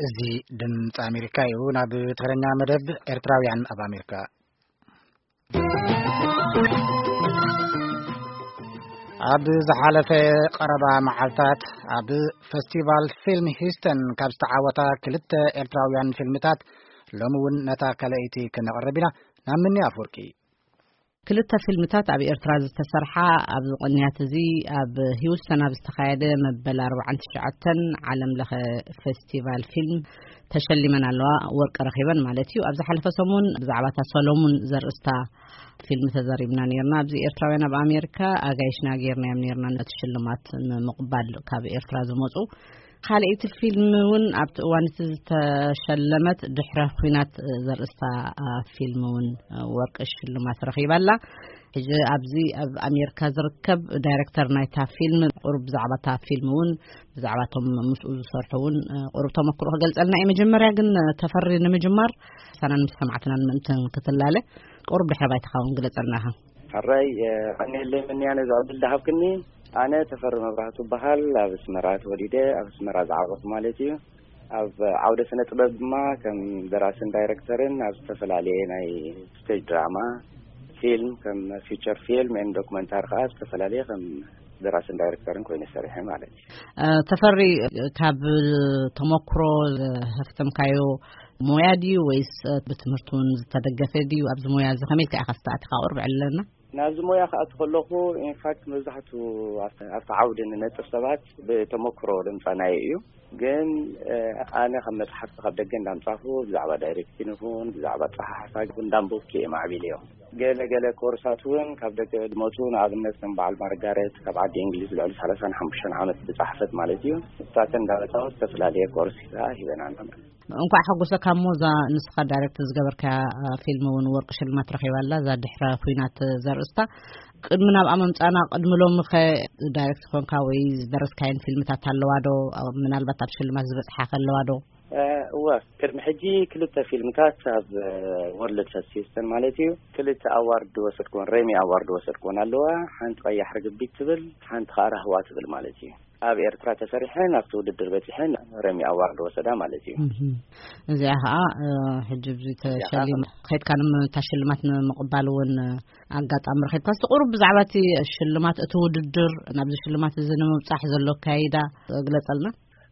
እዚ ድምፂ ኣሜሪካ እዩ። ናብ ትግርኛ መደብ ኤርትራውያን ኣብ ኣሜሪካ። ኣብ ዝሓለፈ ቀረባ መዓልታት ኣብ ፈስቲቫል ፊልም ሂስተን ካብ ዝተዓወታ ክልተ ኤርትራውያን ፊልምታት ሎሚ እውን ነታ ካልኣይቲ ክነቕርብ ኢና። ናብ ምኒ ኣፍወርቂ። ክልተ ፊልምታት ኣብ ኤርትራ ዝተሰርሓ ኣብዚ ቅንያት እዚ ኣብ ሂውስተን ኣብ ዝተኻየደ መበል ኣርባዓን ትሽዓተን ዓለም ለኸ ፈስቲቫል ፊልም ተሸሊመን ኣለዋ፣ ወርቂ ረኺበን ማለት እዩ። ኣብ ዝሓለፈ ሰሙን ብዛዕባ እታ ሰሎሙን ዘርእስታ ፊልም ተዘሪብና ነይርና። ኣብዚ ኤርትራውያን ኣብ ኣሜሪካ ኣጋይሽና ገይርናዮም ነይርና ነቲ ሽልማት ንምቕባል ካብ ኤርትራ ዝመጹ። ካልኣይቲ ፊልም እውን ኣብቲ እዋን እቲ ዝተሸለመት ድሕረ ኲናት ዘርእስታ ፊልም እውን ወርቂ ሽልማት ረኺባ ኣላ። ሕጂ ኣብዚ ኣብ ኣሜሪካ ዝርከብ ዳይሬክተር ናይታ ፊልም ቁሩብ ብዛዕባ እታ ፊልም እውን ብዛዕባ እቶም ምስኡ ዝሰርሑ እውን ቁሩብ ተመክሮ ክገልጸልና እዩ። መጀመርያ ግን ተፈሪ ንምጅማር ሳናን ምስ ሰማዕትናን ምእንትን ክትላለ ቁሩብ ድሕረ ባይታኻ እውን ግለጸልና ኢኻ። ሕራይ ቀኒለይ ምንያ ነዚ ዕድል ዝሃብክኒ። ኣነ ተፈሪ መብራህቱ እበሃል። ኣብ ኣስመራ ተወሊደ ኣብ ኣስመራ ዝዓበኹ ማለት እዩ። ኣብ ዓውደ ስነ ጥበብ ድማ ከም ደራስን ዳይረክተርን ኣብ ዝተፈላለየ ናይ ስቴጅ ድራማ፣ ፊልም፣ ከም ፊቸር ፊልም ኤንድ ዶክመንታሪ ከዓ ዝተፈላለየ ከም ደራስን ዳይረክተርን ኮይነ ሰሪሐ ማለት እዩ። ተፈሪ፣ ካብ ተመክሮ ዘህፍተምካዮ ሞያ ድዩ ወይስ ብትምህርቲ እውን ዝተደገፈ ድዩ? ኣብዚ ሞያ እዚ ከመይ ኢልካ ኢኻ ዝተኣትኻ? ቁርብ ዕለና። ናብዚ ሞያ ክኣቱ ከለኹ ኢንፋክት መብዛሕቱ ኣብቲ ዓውዲ ንነጥፍ ሰባት ብተመክሮ ድምፃናዮ እዩ። ግን ኣነ ካብ መፅሓፍቲ ካብ ደገ እንዳምፃኹ ብዛዕባ ዳይሬክቲን ይኹን ብዛዕባ ፀሓሓፋ እንዳንበብኩ እየ ማዕቢል እዮም። ገለ ገለ ኮርሳት እውን ካብ ደገ ድመፁ፣ ንኣብነት ከም በዓል ማርጋሬት ካብ ዓዲ እንግሊዝ ልዕሊ ሰላሳን ሓሙሽተን ዓመት ዝፀሓፈት ማለት እዩ። እሳተን እንዳመፃወት ዝተፈላለየ ኮርስ ሂበናና። እንኳዕ ሓጎሰካ። እሞ እዛ ንስኻ ዳይሬክት ዝገበርካያ ፊልም እውን ወርቂ ሽልማት ረኺባ ኣላ፣ እዛ ድሕረ ኲናት ዘርእስታ። ቅድሚ ናብኣ ምምፃና ቅድሚ ሎሚ ኸ ዳይሬክት ኮንካ ወይ ዝደረስካየን ፊልምታት ኣለዋ ዶ? ምናልባት ኣብ ሽልማት ዝበፅሓ ከለዋ ዶ? እወ፣ ቅድሚ ሕጂ ክልተ ፊልምታት ኣብ ወርልድ ፈስቲስተን ማለት እዩ ክልተ ኣዋርድ ወሰድኩን ሬሚ ኣዋርድ ወሰድኩን ኣለዋ። ሓንቲ ቀያሕ ርግቢት ትብል፣ ሓንቲ ከዓ ራህዋ ትብል ማለት እዩ። ኣብ ኤርትራ ተሰሪሐን ኣብቲ ውድድር በፂሐን ረሚ ኣዋርድ ወሰዳ ማለት እዩ። እዚኣ ከዓ ሕጂ ብዙ ተሸሊም ከድካ ንምታሽልማት ንምቕባል እውን ኣጋጣሚ ረኺብካ። እስቲ ቁሩብ ብዛዕባ እቲ ሽልማት፣ እቲ ውድድር፣ ናብዚ ሽልማት እዚ ንምብፃሕ ዘሎ ኣካይዳ ግለፀልና።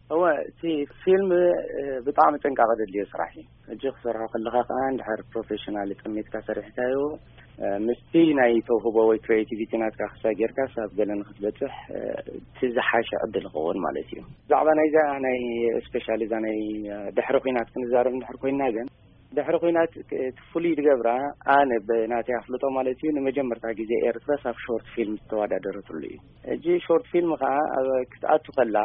እወ፣ እቲ ፊልም ብጣዕሚ ጥንቃቐ ዘድልዮ ስራሕ እዩ። ሕጂ ክሰርሖ ከለኻ ከዓ እንድሕር ፕሮፌሽናል ጠሚትካ ሰሪሕካዮ፣ ምስቲ ናይ ተውህቦ ወይ ክሬቲቪቲ ናትካ ክሳይ ጌርካ ሳብ ገለ ንክትበፅሕ እቲ ዝሓሸ ዕድል ይኸውን ማለት እዩ። ብዛዕባ ናይዛ ናይ ስፔሻሊ እዛ ናይ ድሕሪ ኩናት ክንዛረብ እንድሕር ኮይና ግን፣ ድሕሪ ኩናት እቲ ፍሉይ ዝገብራ፣ ኣነ ብናተይ ኣፍልጦ ማለት እዩ፣ ንመጀመርታ ግዜ ኤርትራ ሳብ ሾርት ፊልም ዝተወዳደረትሉ እዩ። ሕጂ ሾርት ፊልም ከዓ ክትኣቱ ከላ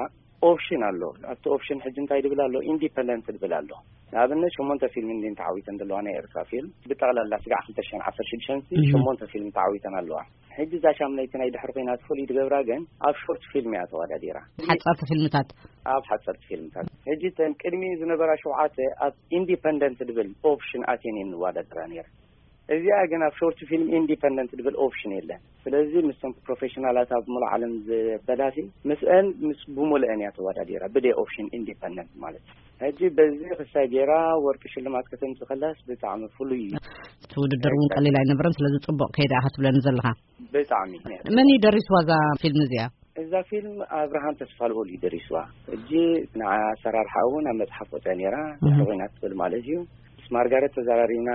ኦፕሽን ኣሎ። ኣብቲ ኦፕሽን ሕጂ እንታይ ድብል ኣሎ? ኢንዲፐንደንት ድብል ኣሎ። ንኣብነት ሸሞንተ ፊልም እንዲን ተዓዊተን ዘለዋ ናይ ኤርትራ ፊልም ብጠቕላላ ስጋዕ ክልተ ሽሕን ዓሰርተ ሽዱሽተን ሸሞንተ ፊልም ተዓዊተን ኣለዋ። ሕጂ እዛ ሻምነይቲ ናይ ድሕሪ ኮይና ፍሉይ ትገብራ ግን ኣብ ሾርት ፊልም እያ ተወዳዲራ። ሓጻርቲ ፊልምታት። ኣብ ሓጻርቲ ፊልምታት። ሕጂ እተን ቅድሚ ዝነበራ ሸውዓተ ኣብ ኢንዲፐንደንት ድብል ኦፕሽን ኣትየን እየን ንወዳደራ ነይረ። እዚኣ ግን ኣብ ሾርት ፊልም ኢንዲፐንደንት ድብል ኦፕሽን የለን። ስለዚ ምስቶም ፕሮፌሽናላት ኣብ ሙሉእ ዓለም ዝበላሲ ምስአን ምስ ብሙሉአን እያ ተወዳዲራ ብደይ ኦፕሽን ኢንዲፐንደንት ማለት እዩ። ሕጂ በዚ ክሳይ ጌራ ወርቂ ሽልማት ከተምጽእ ከላስ ብጣዕሚ ፍሉይ እዩ። እቲ ውድድር እውን ቀሊል ኣይነበረን፣ ስለዚ ጽቡቕ ከይዳ ኢኻ ትብለኒ ዘለኻ። ብጣዕሚ። መን እዩ ደሪስዋ እዛ ፊልም እዚኣ? እዛ ፊልም ኣብርሃም ተስፋልቦል እዩ ደሪስዋ። ሕጂ ንዓ ኣሰራርሓ እውን ኣብ መጽሓፍ ወፅያ ነይራ። ድሕሪ ኮይና ትብል ማለት እዩ። ምስ ማርጋሬት ተዘራሪብና፣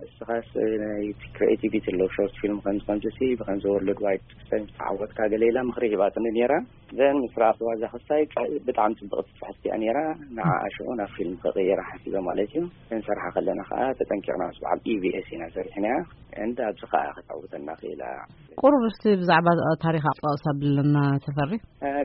እስኻስ ናይ ክሪኤቲቪቲ ኣለዎ ሾርት ፊልም ከምዚ ከምዚ ሲ ብከምዚ ወርልድ ዋይድ ክሰን ተዓወትካ ገለ ኢላ ምኽሪ ሂባትኒ ነይራ። ዘን ምስ ረኣኽዋ እዛ ክስታይ ብጣዕሚ ጽብቕቲ ጽሕፍቲ እያ ነይራ። ንዓኣ ሽዑ ናብ ፊልም ክቕይራ ሓሲበ ማለት እዩ። ክንሰርሓ ከለና ከዓ ተጠንቂቕና ምስ በዓል ኢቢኤስ ኢና ሰሪሕናያ። እንዳ ኣብዚ ከዓ ከተዕውተና ክኢላ። ቁሩብ እስቲ ብዛዕባ ታሪኻ ጠቕስ ኣብለና ተፈሪ።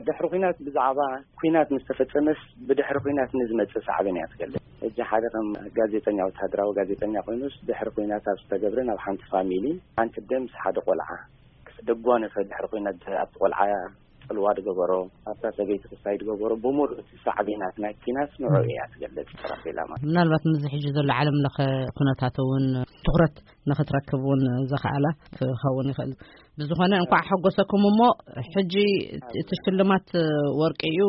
ድሕሪ ኩናት ብዛዕባ ኩናት ምስ ተፈጸመስ ብድሕሪ ኩናት ንዝመጽእ ሳዕቤን እያ ትገልጽ። ሕጂ ሓደ ከም ጋዜጠኛ፣ ወተሃደራዊ ጋዜጠኛ ኮይኑስ ድሕሪ ኩናት ኣብ ዝተገብረ ናብ ሓንቲ ፋሚሊ ሓንቲ ኣደ ምስ ሓደ ቆልዓ ክስ-፣ ደጓነፈ ድሕሪ ኩናት ኣብቲ ቆልዓ ጽልዋ ድገበሮ፣ ኣብታ ሰበይቲ ክሳይ ድገበሮ፣ ብምሉእ እቲ ሳዕቤናት ናይ ኩናት ንዑ እያ ትገልጽ። ራፌላ ማለት ምናልባት ምስዚ ሕጂ ዘሎ ዓለም ለኸ ኩነታት እውን ትኹረት ንኽትረክብ እውን ዘኽኣላ ክኸውን ይኽእል። ብዝኾነ እንኳዕ ሓጎሰኩም። እሞ ሕጂ እቲ ሽልማት ወርቂ እዩ።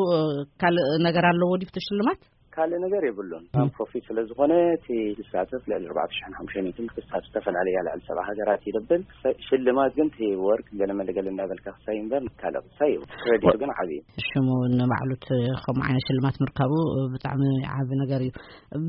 ካልእ ነገር ኣለዎ ድዩ እቲ ሽልማት? ካልእ ነገር የብሉን። ም። ፕሮፊት ስለ ዝኾነ እቲ ዝሳተፍ ልዕሊ ኣርባዕተ ሽሕን ሓሙሽተ ሚእትን ክሳብ ዝተፈላለያ ልዕሊ ሰብዓ ሃገራት ይደብል። ሽልማት ግን እቲ ወርቅ ገለ መለ ገለ እንዳበልካ ክሳይ እምበር ካልእ ክሳይ የብሉን። ክሬዲት ግን ዓብዪ እዩ። ሽሙ ንባዕሉ እቲ ከምኡ ዓይነት ሽልማት ምርካቡ ብጣዕሚ ዓቢ ነገር እዩ።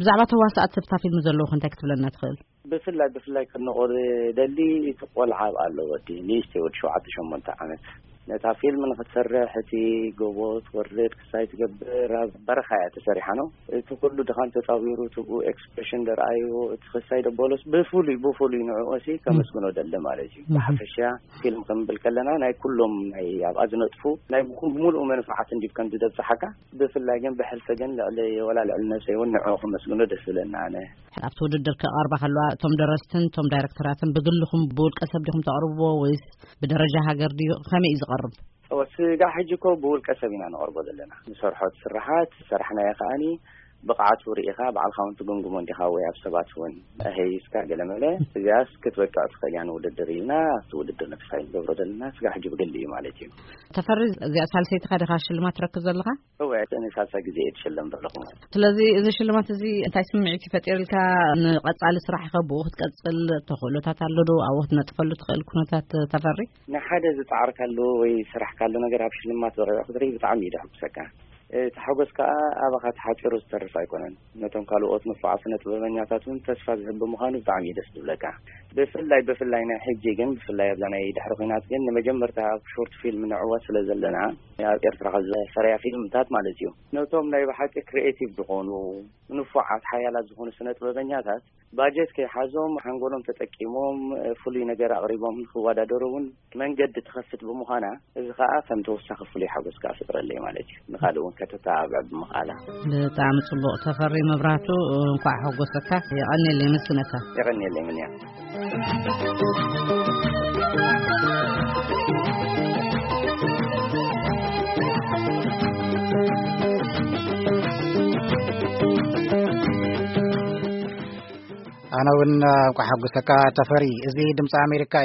ብዛዕባ ተዋሳእቲ ኣብታ ፊልም ዘለዉ እንታይ ክትብለና ትኽእል? ብፍላይ ብፍላይ ክነቆር ደሊ እቲ ቆልዓ ኣብኣ ኣሎ፣ ወዲ ንእሽተይ፣ ወዲ ሸውዓተ ሸሞንተ ዓመት። ነታ ፊልም ንክትሰርሕ እቲ ጎቦ ትወርድ ክሳይ ትገብር ኣብ በረኻ እያ ተሰሪሓ ነው። እቲ ኩሉ ድኻም ተጻዊሩ ትብኡ ኤክስፕሬሽን ደርኣዩ እቲ ክሳይ ደበሎስ ብፍሉይ ብፍሉይ ንዕኦሲ ከመስግኖ ደሊ ማለት እዩ። ብሓፈሻ ፊልም ክንብል ከለና ናይ ኩሎም ናይ ኣብኣ ዝነጥፉ ናይ ብኩ- ብምሉኡ መንፋዓት እንዲብ ከም ዝደብጽሓካ፣ ብፍላይ ግን ብሕልፊ ግን ልዕሊ ወላ ልዕሊ ነብሰይ እውን ንዕኡ ከመስግኖ ደስ ዝብለና ኣነ። ኣብቲ ውድድር ክቐርባ ከለዋ እቶም ደረስትን እቶም ዳይረክተራትን ብግልኹም ብውልቀ ሰብ ዲኹም ተቕርብዎ ወይስ ብደረጃ ሃገር ድዩ? ከመይ እዩ ዝቐርብ? እወ፣ ስጋዕ ሕጂ እኮ ብውልቀ ሰብ ኢና ነቕርቦ ዘለና። ንሰርሖ ስርሓት ዝሰራሕናዮ ከኣኒ ብቕዓቱ ርኢኻ ባዕልኻ እውን ትግምግሞ እንዲኻ ወይ ኣብ ሰባት እውን ኣሀይስካ ገለመለ እዚኣስ ክትበቅዕ ትኽእል እያ ንውድድር ኢልና ኣብቲ ውድድር ነተሳይ ንገብሮ ዘለና ስጋዕ ሕጂ ብግሊ እዩ ማለት እዩ። ተፈሪ፣ እዚኣ ሳልሰይትኻ ዲኻ ሽልማት ትረክብ ዘለኻ? እወ፣ እኔ ሳልሳይ ግዜ እየ ትሸለም ዘለኹ። ስለዚ እዚ ሽልማት እዚ እንታይ ስምዒት ይፈጢርልካ? ንቐጻሊ ስራሕኸ ብኡ ክትቀጽል ተኽእሎታት ኣሎ ዶ? ኣብኡ ክትነጥፈሉ ትኽእል ኩነታት ተፈሪ? ንሓደ ዝጻዕርካሉ ወይ ዝሰራሕካሉ ነገር ኣብ ሽልማት በቒዑ ክትርኢ ብጣዕሚ እዩ ደሕጉሰካ። እቲ ሓጎስ ከኣ ኣባኻ ተሓጺሩ ዝተርፍ ኣይኮነን። ነቶም ካልኦት ንፉዓት ስነ ጥበበኛታት እውን ተስፋ ዝህብ ብምዃኑ ብጣዕሚ እዩ ደስ ዝብለካ። ብፍላይ ብፍላይ ናይ ሕጂ ግን ብፍላይ ኣብዛ ናይ ድሕሪ ኲናት ግን ንመጀመርታ ኣብ ሾርት ፊልም ንዕወት ስለ ዘለና ኣብ ኤርትራ ካብ ዝሰርያ ፊልምታት ማለት እዩ። ነቶም ናይ ብሓቂ ክሪኤቲቭ ዝኾኑ ንፉዓት ሓያላት ዝኾኑ ስነ ጥበበኛታት ባጀት ከይሓዞም ሓንጎሎም ተጠቂሞም ፍሉይ ነገር ኣቕሪቦም ንክወዳደሩ እውን መንገዲ ትኸፍት ብምዃና እዚ ከዓ ከም ተወሳኺ ፍሉይ ሓጎስ ከዓ ፍጥረለይ ማለት እዩ። ንኻልእ እውን ከተተባብዕ ብምኽኣላ። ብጣዕሚ ጽቡቕ ተፈሪ መብራህቱ፣ እንኳዕ ሓጎሰካ። የቐንየለይ ምስግነካ። የቐንየለይ ምንያ። ኣነ እውን እንኳዕ ሓጎሰካ ተፈሪ። እዚ ድምፂ ኣሜሪካ እዩ።